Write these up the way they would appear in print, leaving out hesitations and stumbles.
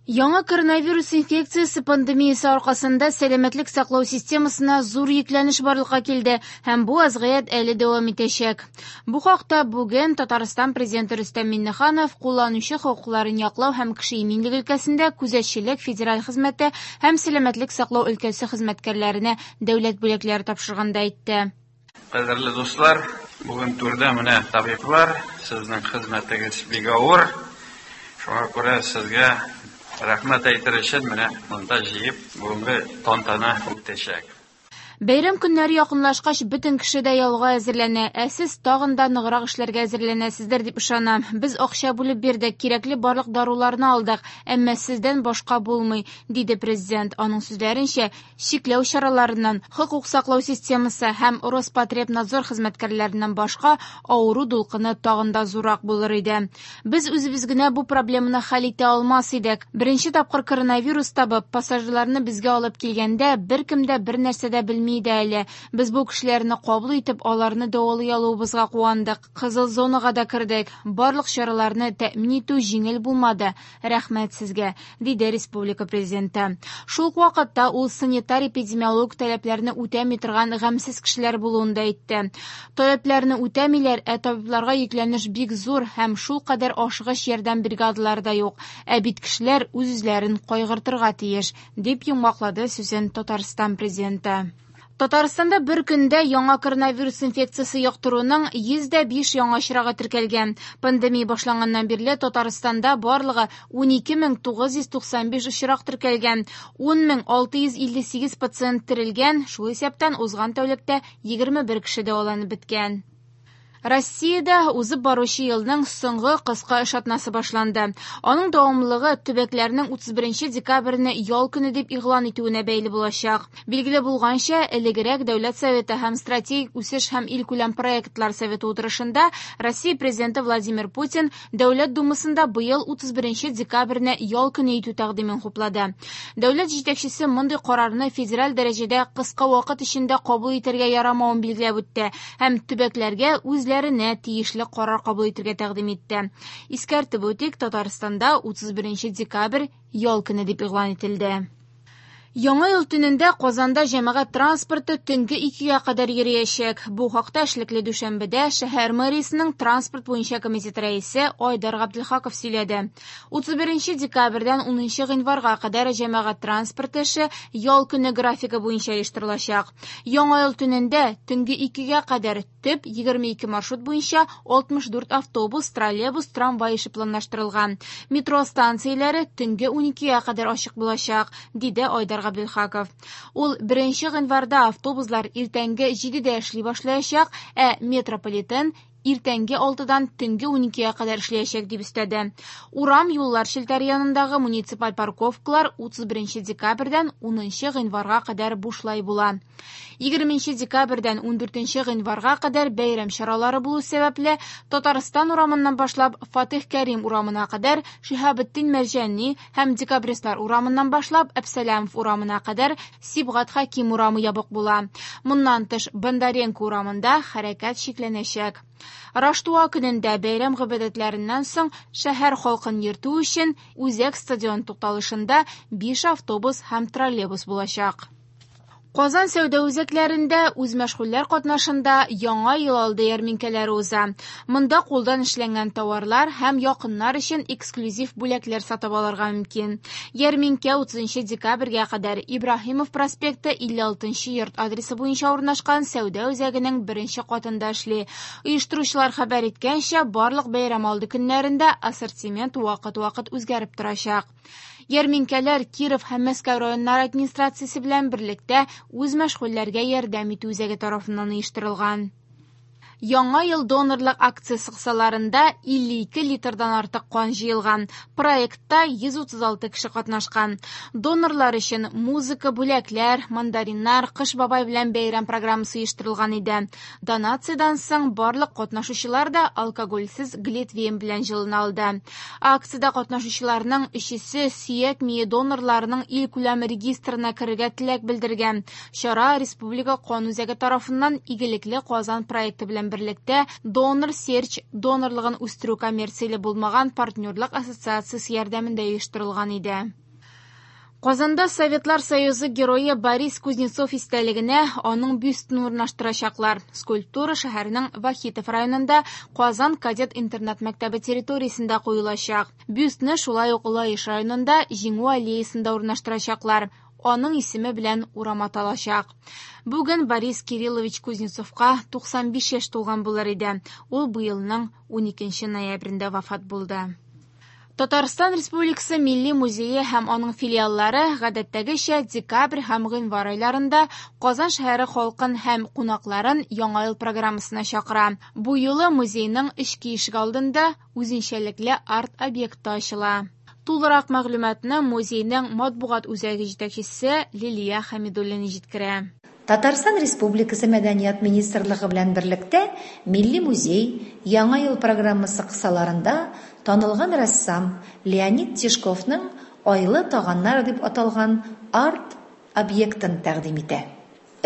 Яңа коронавирус инфекциясе пандемиясе аркасында сәламәтлек саклау системасына зур йөкләнеш барлыкка килде һәм бу вазгыять әле дәвам итәчәк. Бу хакта бүген Татарстан Президенты Рөстәм Миңнеханов кулланучы хокукларын яклау һәм кеше иминлеге өлкәсендә күзәтчелек федераль хезмәте һәм сәламәтлек саклау өлкәсе хезмәткәрләренә дәүләт бүләкләре тапшырганда әйтте. Кадерле дуслар, бүген түрдә менә табиблар, сезнең хезмәтегез бик авыр. Шуңа күрә сезгә рәхмәт әйтер өчен менә монда җыеп бүгенге тантана үтәчәк. Бәйрәм көннәре якынлашкач, бөтен кеше дә ялга әзерләнә, ә сез тагын да ныграк эшләргә әзерләнәсездер дип ышанам. Без акча бүлеп бирдек, кирәкле барлык даруларны алдык, әмма сездән башка булмый, диде президент. Аның сүзләренчә, чикләү чараларыннан, хокук саклау системасы һәм Роспотребнадзор хезмәткәрләреннән башка авыру дулкыны тагын да зуррак булыр иде. Без үзебез генә бу проблеманы хәл итә алмас идек. Беренче тапкыр коронавирус табып, пассажирларны безгә алып килгәндә, беркем дә бер нәрсә дә белми иде әле. Без бу кешеләрне кабул итеп, аларны дәвалый алуыбызга куандык. Кызыл зонага да кердек. Барлык чараларны тәэмин итү җиңел булмады. Рәхмәт сезгә, диде республика президенты. Шул ук вакытта ул санитар-эпидемиологик таләпләрне үтәми торган гамьсез кешеләр булуын да әйтте. Таләпләрне үтәмиләр, ә табибларга йөкләнеш бик зур һәм шулкадәр ашыгыч ярдәм бригадалары да юк. Ә бит кешеләр үз-үзләрен кайгыртырга тиеш, дип йомгаклады сүзен Татарстан президенты. Татарстанда бер көндә яңа коронавирус инфекциясе йоктыруның 105 яңа очрагы теркәлгән. Пандемия башланганнан бирле Татарстанда барлыгы 12995 очрак теркәлгән. 10658 пациент терелгән, шул исәптән узган тәүлектә 21 кеше дәваланып беткән. Россиядә узып баручы елның соңгы кыска эш атнасы башланды. Аның дәвамлылыгы төбәкләрнең 31 декабрьне ял көне дип игълан итүенә бәйле булачак. Билгеле булганча, элегрәк Дәүләт Советы һәм Стратегик үсеш һәм илкүләм проектлар советы утырышында Россия Президенты Владимир Путин Дәүләт Думасында быел 31 декабрьне ял көне итү тәкъдимен хуплады. Дәүләт җитәкчесе мондый карарны федераль дәрәҗәдә кыска вакыт эчендә кабул итәргә ярамавын билгеләп үтте һәм төбәкләргә үзләренә тиешле карар кабул итәргә тәкъдим итте. Искәртеп үтик, Татарстанда 31 декабрь ял көне дип игълан ителде. Яңа ел төнендә Казанда җәмәгать транспорты төнге 2-гә кадәр йөриячәк. Бу хакта эшлекле дүшәмбедә шәһәр мэриясенең транспорт буенча комитет рәисе Айдар Габделхаков сөйләде. 31 декабрьдән 10 гыйнварга кадәр җәмәгать транспорты эше ял көне графигы буенча оештырылачак. Яңа ел төнендә төнге 2-гә кадәр төп 22 маршрут буенча 64 автобус, троллейбус, трамвай эше планлаштырылган. Метро станцияләре төнге 12-гә кадәр ачык булачак, диде Айдар Габделхаков. Ул 1 гыйнварда автобуслар иртәнге 7-дә эшли башлаячак, ә метрополитен иртәнге 6-дан төнге 12-гә кадәр эшләячәк дип өстәде. Урам юллар челтәре янындагы муниципаль парковкалар 31 декабрьдән 10 гыйнварга кадәр бушлай була. 20 декабрьдән 14 гыйнварга кадәр бәйрәм чаралары булу сәбәпле Татарстан урамыннан башлап Фатих Кәрим урамына кадәр Шиһабетдин Мәрҗани һәм Декабристлар урамыннан башлап Әбсәләмов урамына кадәр Сибгат Хәким урамы ябык була. Моннан тыш Бондаренко урамында хәрәкәт чикләнәчәк. Раштуа көнендә бәйрәм гыйбадәтләреннән соң шәһәр халкын йөртү өчен Үзәк стадион тукталышында 5 автобус һәм троллейбус булачак. Казан сәүдә үзәкләрендә үзмәшгульләр катнашында яңа ел алды ярминкәләре уза. Монда кулдан эшләнгән товарлар һәм якыннар өчен эксклюзив бүләкләр сатып алырга мөмкин. Ярминкә 30 декабрьгә кадәр Ибраһимов проспекты 56 йорт адресы буенча урнашкан сәүдә үзәгенең беренче катында эшли. Оештыручылар хәбәр иткәнчә, барлык бәйрәм алды көннәрендә ассортимент вакыт-вакыт үзгәреп торачак. Ярминкәләр Киров һәм Мәскәү районнары администрациясе белән берлектә үзмәшгульләргә ярдәм итү үзәге тарафыннан оештырылган. Яңа ел донорлык акциясе кысаларында 52 литрдан артык кан җыелган. Проектта 136 кеше катнашкан. Донорлар өчен музыка, бүләкләр, мандариннар, Кыш бабай белән бәйрәм программасы оештырылган иде. Донациядән соң барлык катнашучылар да алкогольсез глитвейн белән җылына алды. Акциядә катнашучыларның өчесе сөяк мие донорларының илкүләм регистрына керергә теләк белдергән. Чара Республика кан үзәге тарафыннан Игелекле Казан проекты белән белән берлектә Donor Search донорлыгын үстерү коммерцияле булмаган партнерлык ассоциациясе ярдәмендә оештырылган иде. Казанда Советлар Союзы герое Борис Кузнецов истәлегенә аның бюстын урнаштырачаклар. Скульптура шәһәрнең Вахитов районында Казан кадет интернат мәктәбе территориясендә куелачак. Бюстны шулай ук Лаеш районында Җиңү аллеясында урнаштырачаклар. Аның исеме белән урам аталачак. Бүген Борис Кириллович Кузнецовка 95 яшь тулган булыр иде. Ул быелның 12 ноябрендә вафат булды. Татарстан Республикасы Милли музее һәм аның филиаллары гадәттәгечә декабрь һәм гыйнвар айларында Казан шәһәре халкын һәм кунакларын Яңа ел программасына чакыра. Бу юлы музейның эчке ишегалдында үзенчәлекле арт-объекты ачыла. Тулырак мәгълүматны музейның матбугат үзәге җитәкчесе Лилия Хәмидуллина җиткерә. Татарстан Республикасы Мәдәният министрлыгы белән берлектә Милли музей Яңа ел программасы кысаларында танылган рәссам Леонид Тишковның Айлы таганнар дип аталган арт-объектын тәкъдим итә.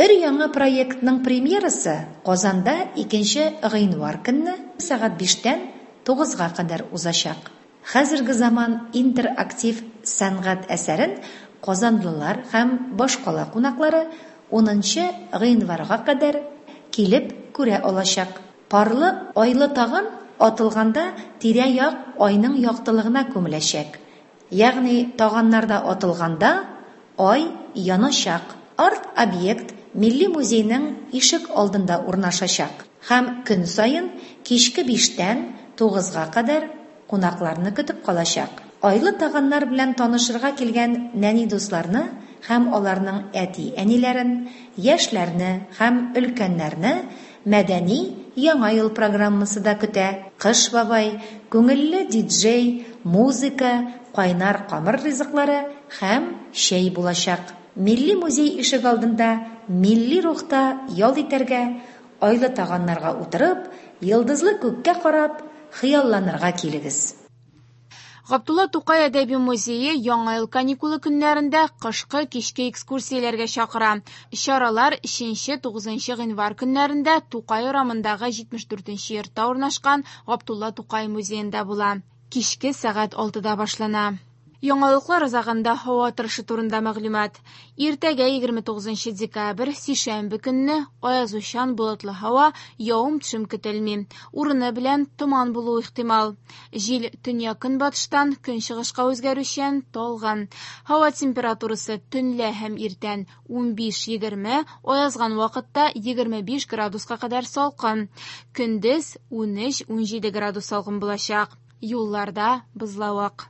Өр-яңа проектның премьерасы Казанда 2 гыйнвар көнне сәгать биштән тугызга кадәр узачак. Хәзерге заман интерактив сәнгать әсәрен казанлылар һәм башкала кунаклары 10 гыйнварга кадәр килеп күрә алачак. Парлы айлы таган атылганда тирә-як айның яктылыгына күмеләчәк. Ягъни таганнарда атылганда ай яначак. Арт-объект Милли музейның ишек алдында урнашачак һәм көн саен кичке биштән тугызга кадәр кунакларны көтеп калачак. Айлы таганнар белән танышырга килгән нәни дусларны һәм аларның әти-әниләрен, яшьләрне һәм өлкәннәрне мәдәни Яңа ел программасы да көтә. Кыш бабай, күңелле диджей, музыка, кайнар камыр ризыклары һәм чәй булачак. Милли музей ишегалдында милли рухта ял итәргә, айлы таганнарга утырып, йолдызлы күккә карап, хыялланырга килегез. Габдулла Тукай әдәби музее Яңа ел каникулы көннәрендә кышкы кичке экскурсияләргә чакыра. Чаралар 3-9 гыйнвар көннәрендә Тукай урамындагы 74 йортта урнашкан Габдулла Тукай музеенда була. Кичке сәгать 6-да башлана. Яңалыклар азагында һава торышы турында мәгълүмат. Иртәгә 29 декабрь, сишәмбе көнне аязучан болытлы һава, явым-төшем көтелми. Урыны белән томан булуы ихтимал. Җил төньяк-көнбатыштан көнчыгышка үзгәрүчән, талгын. Һава температурасы төнлә һәм иртән 15-20, аязган вакытта 25 градуска кадәр салкын. Көндез 13-17 градус салкын булачак. Юлларда бозлавык.